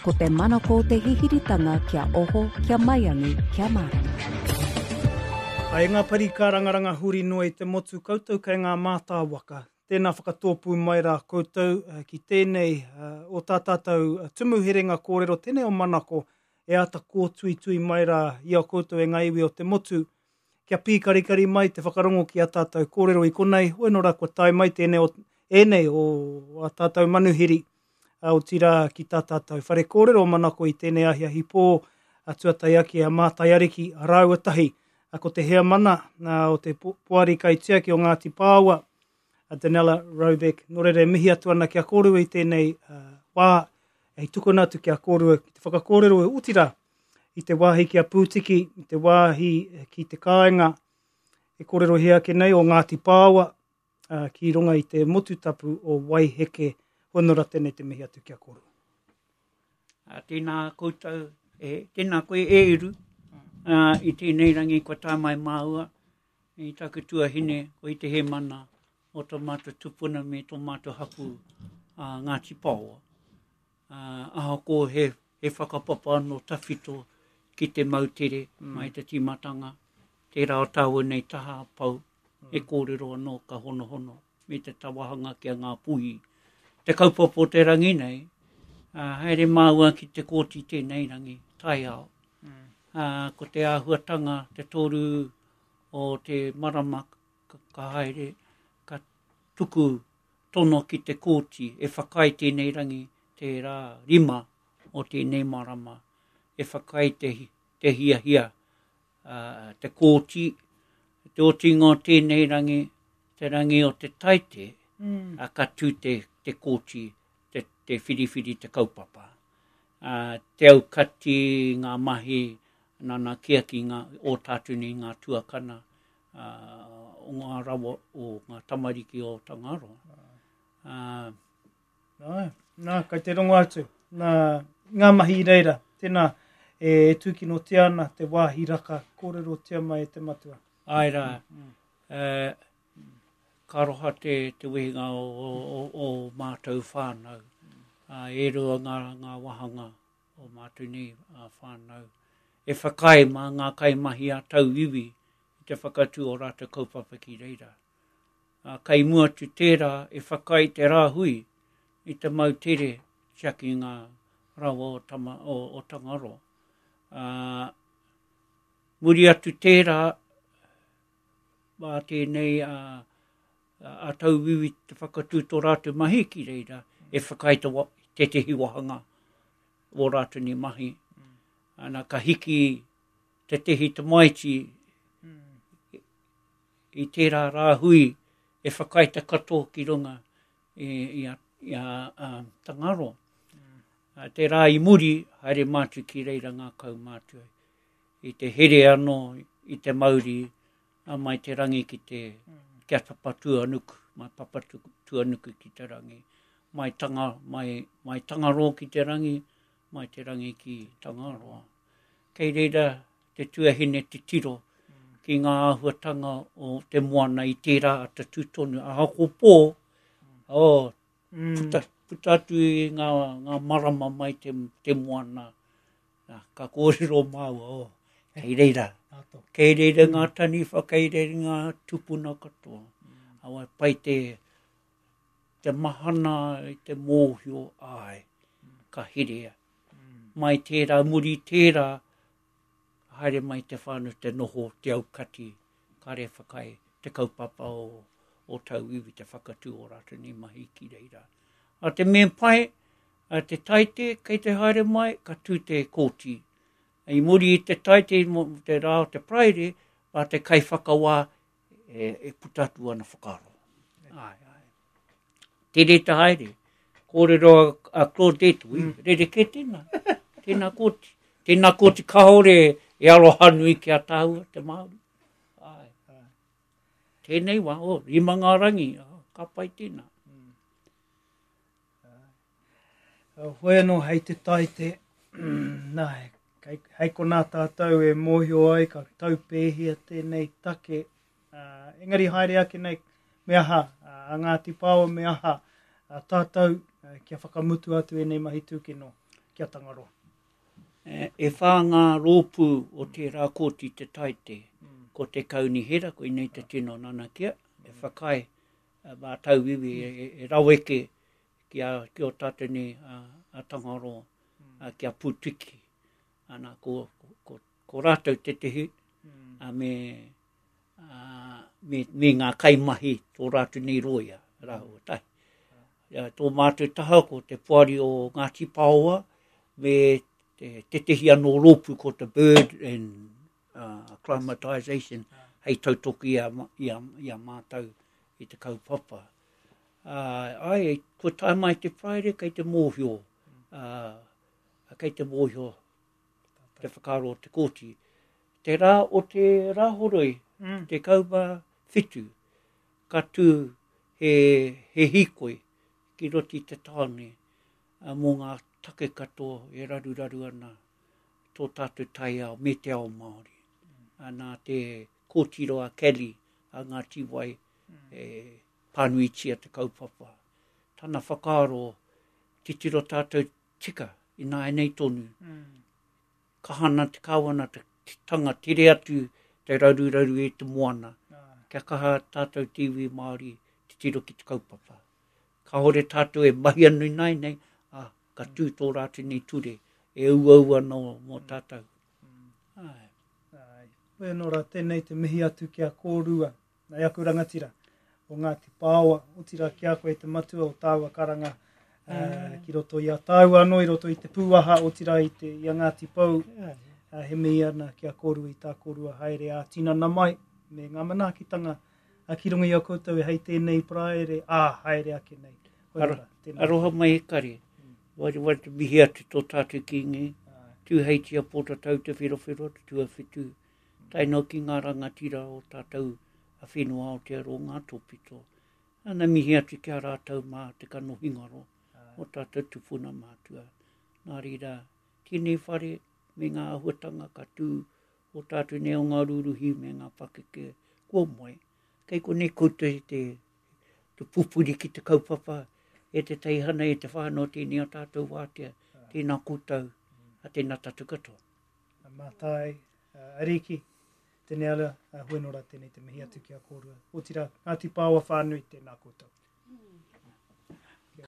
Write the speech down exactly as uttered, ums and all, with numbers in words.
Ko te manako te hihiritanga kia oho, kia maiangi, kia mārama. Ai ngā pari kārangaranga huri noa i te motu koutou kei ngā mātāwaka. Tēnā whakatōpū mai rā koutou ki tēnei o tā tātou tumu herenga kōrero, tēnei o manako e āta kōtuitui mai rā i a koutou e ngā iwi o te motu. Kia pīkarikari mai te whakarongo ki a tātou kōrero i konei, hoi nō rā kua tae mai tēnei o, ēnei o a tātou manuhiri, otirā ki tā tātou whare kōrero manako i tēnei ahiahi pō, a tuatai ake a Mātai Ariki, a rāua tahi, a ko te heamana o te poari kaitiaki o Ngāti Pāoa, a Danella Roebeck. Nō reira e mihi atu ana ki a kōrua i tēnei uh, wā, e tukuna atu ki a kōrua ki te whakakōrero e otirā i te wāhi ki a Pūtiki, i te wāhi ki te kāinga e kōrerohia ake nei o Ngāti Pāoa, uh, ki runga i te motu tapu o Waiheke. Honora tēnei te mihi atu ki a kōrua. A, tēnā koutou, e, tēnā koe e Eru, uh, i tēnei rangi kua tae mai māua, i taku tuahine, ko i te hemana o tō mātou tupuna me tō mātou hapu uh, Ngāti Pāoa. Uh, ahako he, he whakapapa anō tawhito ki te moutere mm. mai te tīmatanga, tērā o tāua nei taha pau, mm. e kōrero anō ka honohono me te tawahanga ki a ngā puhi. Te kaupapa o te rangi nei, uh, haere māua ki te kōti tēnei rangi, taiao. Mm. Uh, ko te āhuatanga, te toru o te marama ka, ka haere, ka tuku tono ki te kōti e whakaae tēnei rangi, te rā rima o tēnei marama, e whakaae te, te hiahia, uh, te kōti, te otinga o tēnei rangi, te rangi o te taite, mm. uh, ka tū te, te kōti, te, te whiriwhiri te kaupapa. Uh, te aukati ngā mahi, nana kia ki ngā o tātou nei ngā tuakana, uh, o ngā rawa o ngā tamariki o Tangaroa. Uh, nā, nā, kai te rongo atu, nā, ngā mahi i reira, tēnā, e tūkinotia ana te wāhi raka kōrerotia mai e te matua. Ai rā, mm. uh, ka roha te, te wehinga o, o, o, o mātou whānau. Uh, e rua ngā, ngā wahanga o mātou nei uh, whānau. E whakaae mā ngā kaimahi a tauiwi i te whakatū o rātou kaupapa ki reira. Uh, kai mua atu tērā e whakaae te rāhui i te moutere tiaki ngā rawa o, tama, o, o Tangaroa. Uh, muri atu tērā, mā tēnei a, a tauiwi te whakatū tō rātou mahi ki reira, e whakaae te wa, tētehi wahanga o rātou ni mahi. Ana ka hiki tētehi tamaiti i tērā rāhui e whakaae te katoa ki runga i, i a, i a, a Tangaroa. Mm. Te rā i muri, haere mātu ki reira ngā kaumātua. I te here anō, i te mauri, a mai te rangi ki te, mm. kia Papatūānuku, mai Papatūānuku ki te rangi, mai, tanga, mai, mai Tangaroa ki te rangi, mai te rangi ki Tangaroa. Kei reira te tuahine te tiro ki ngā āhuatanga o te moana i tērā ata tū tonu. Ahako pō, oh, mm. puta, puta atu i ngā, ngā marama mai te, te moana. Nā, ka kōrero māua, oh, kei reira. Kei reira ngā taniwha, kei reira ngā tupuna katoa. Awa, pai te, te mahana i te mōhio ai, ka hirea. Mai tērā, muri tērā, haere mai te whānau te noho, te aukati, kare whakaae te kaupapa o, o tauiwi te whakatū o rātou nei mahi ki reira. A te mea pai, a te taite kei te haere mai, ka tū te kōti. I muri i te taite, mo te rā o te Paraire, mā te kaiwhakawā e, e puta atu ana whakaaro. Ai, ai. Tere te haere. Kōrero a, a Claudette, ui, mm. rerekē tēnā. Tēnā kōti. Tēnā kōti kāore e aroha nui ki a tāua, te Māori. Ai. Tēnei wā, oh, rima ngā rangi, oh, ka pai tēnā. Mm. Hoi anō hei te taite, nā, hei, hei konā tātou e mōhio ai ka taupēhia tēnei take. Uh, engari haere ake nei, me aha, a Ngāti Pāoa me aha, a tātou uh, kia whakamutu atu ēnei mahi tūkino. ki a Tangaroa. E, e whā ngā rōpū o tērā kōti te taite. Mm. Ko te kaunihera, ko inei te tino nanakia, e whakaae mā tauiwi e, e, e raweke ki a, ki o tātou nei a, a Tangaroa, mm. a, ki a Pūtiki. Ana, ko, ko, ko, ko rātou tētehi, mm. a me, a, me, me ngā kaimahi tō rātou nei roia, rāua tahi. Ja, tō mātou taha ko te poari o Ngāti Paoa, me te tētehi anō rōpū ko te Bird and uh, Acclimatization hei tautoki i a, i a, i a mātou i te kaupapa. Uh, ai, kua tae mai te Friday kei te mōhio, uh, kei te mōhio te whakaaro o te kōti. Te rā o te rāhoroi, mm. te kauma whitu, ka tū he, he hīkoi ki roti te tāne uh, mō ngā take katoa e raruraru ana tō tātou taiao me te ao Māori. Mm. Nā te kōtiro a Kelly a Ngāti Wai mm. e pānuitia te kaupapa. Tana whakaaro, titiro tātou tika i nāianei tonu. Mm. Kahana te kāwana te tanga tere atu te raruraru e te moana. Ah. Kia kaha tātou te iwi Māori titiro ki te kaupapa. Kāore tātou e mahi anu i nāianei, ah, ka tū tō rātou nei ture, e uaua no mō tātou. Mm. Ai. Ai. Koe anō rā, tēnei te mihi atu ki a kōrua, nei aku rangatira, o Ngāti Paoa, otirā ki a koe te matua o tāua karanga uh, ki roto i a tāua anō, i roto i te pūaha, otirā i, te, i a Ngāti Pou, uh, he mihi ana ki a kōrua i tā kōrua haere ā tinana mai, me ngā manaakitanga uh, ki runga i a koutou e hei tēnei paraere, ā, haere ake nei. Aro, aroha mai e kare. Wari wari te mihi atu tō tātou Kīngi. Tūheitia Pōtatau te whirowhiro te tuawhitu. Tae noa ki ngā rangatira o tātou a whenua Aotearoa ngā tōpito. Ana mihi atu ki a rātou mā te kanohingaro o tātou tupuna mātua. Nā reira, tēnei whare me ngā āhuatanga ka tū o tātou nei o ngā rūruhi me ngā pakeke kua moe. Kei konei koutou te, te pupuri ki te kaupapa e te teihana e te whānau tēnei o tātou wātea, tēnā koutou, a tēnā tātou katoa. Mātai, uh, Ariki, tēnei ala, uh, huenora tēnei te mihi atu ki a kōrua. Otirā, Ngāti Paoa whānui, tēnā koutou. Mm.